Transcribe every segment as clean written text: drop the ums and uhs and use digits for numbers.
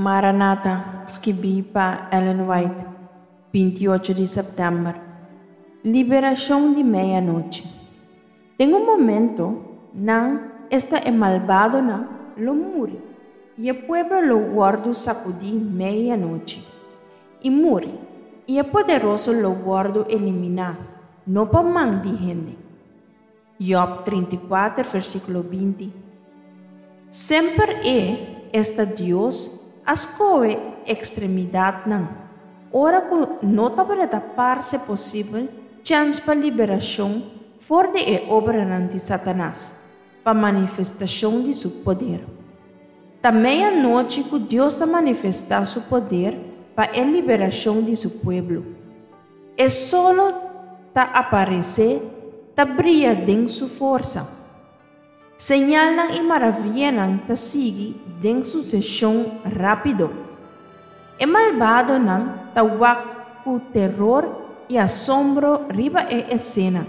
Maranata, skibí pa Ellen White, 28 di sèptèmber. Liberashon di meianochi. Den un momento, nan, esta e malbadonan, lo muri, i e pueblo lo wòrdu sakudí meianochi, i muri, i e poderoso lo wòrdu eliminá, no pa man di hende. Jòb 34, versíkulo 20. Semper e, esta Dios, a skohe ekstremidatnan, ora ku no tabata parse posibel chèns pa liberashon for di e obranan di Satanas, pa manifestashon di su poder. Ta meianochi ku Dios ta manifestá su poder pa e liberashon di su pueblo. E solo ta aparesé, ta bria den su forsa. Señalnan i maravianan ta sigui den suseshon rápido. E malbadonan ta wak ku teror i asombro riba e esena,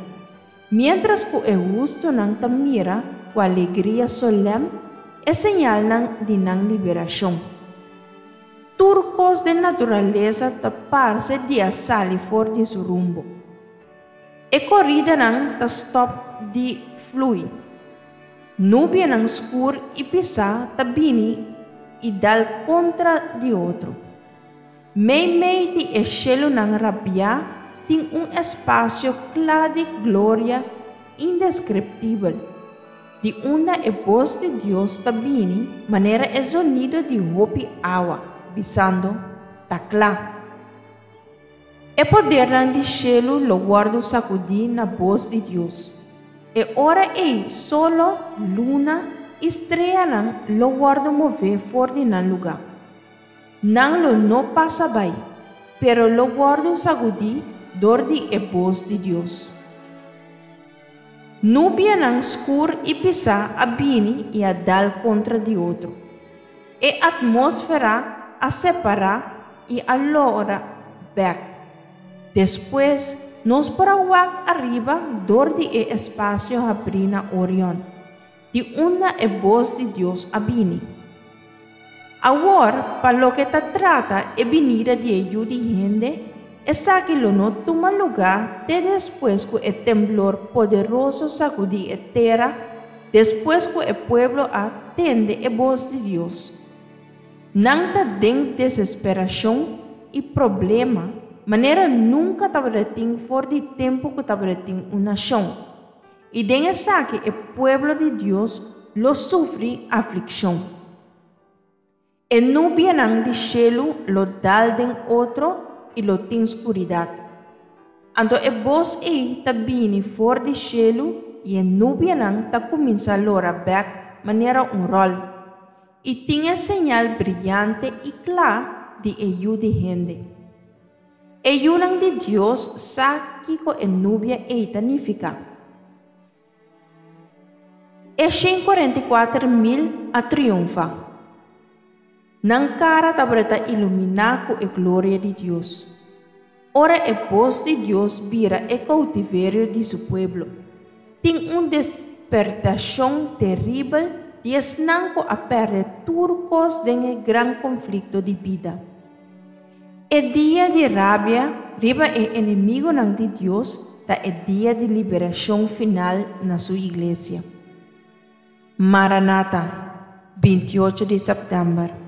miéntras ku e hustunan ta mira ku alegria solèm e señalnan di nan liberashon. Tur kos den naturalesa ta parse di a sali for di su rumbo. E koridanan ta stòp di flui. Nubianan skur i pisá ta bini i dal kontra di otro. Meimei di e shelunan rabiá tin un espasio kla di gloria indeskriptibel, di unda e bos di Dios ta bini manera e zonido di hopi awa, bisando, Ta kla! E podernan di shelu lo wòrdu sakudí na bos di Dios. E ora ei solo, luna i streanan lo wòrdu mové for di nan lugá. Nan lo no pasa bai, pero lo wòrdu sagudí dor di e bos di Dios. Nubianan skur i pisá a bini i a dal kontra di otro. E atmósfera a separá i a lora bèk. Despues, nos por a wak ariba dor di e espasio habrí na Orion, di unda e bos di Dios a bini. Awor, pa loke ta trata e binida di e Yu di hende, esaki lo no tuma lugá te despues ku e temblor poderoso sakudí e tera, despues ku e pueblo a tende e bos di Dios. Nan ta den desesperashon i problema manera nunka tabatin for di tempu ku tabatin un nashon, i den esaki e pueblo di Dios lo sufri aflikshon. E nubianan di shelu lo dal den otro i lo tin skuridat. Anto e bos ei ta bini for di shelu i e nubianan ta kuminsá lora bèk manera un ròl. I tin e señal briante i kla di e Yu di hende. E yunan di Dios sa kiko e nubia ei ta nifiká. E 144.000 a triunfá. Nan kara tabata iluminá ku e gloria di Dios. Ora e bos di Dios bira e koutiverio di su pueblo, tin un despertashon teribel di esnan ku a pèrdè tur kos den e gran konflikto di bida. E dia di rabia riba e enemigunan di Dios ta e dia di liberashon final na su iglesia. Maranata, 28 di sèptèmber.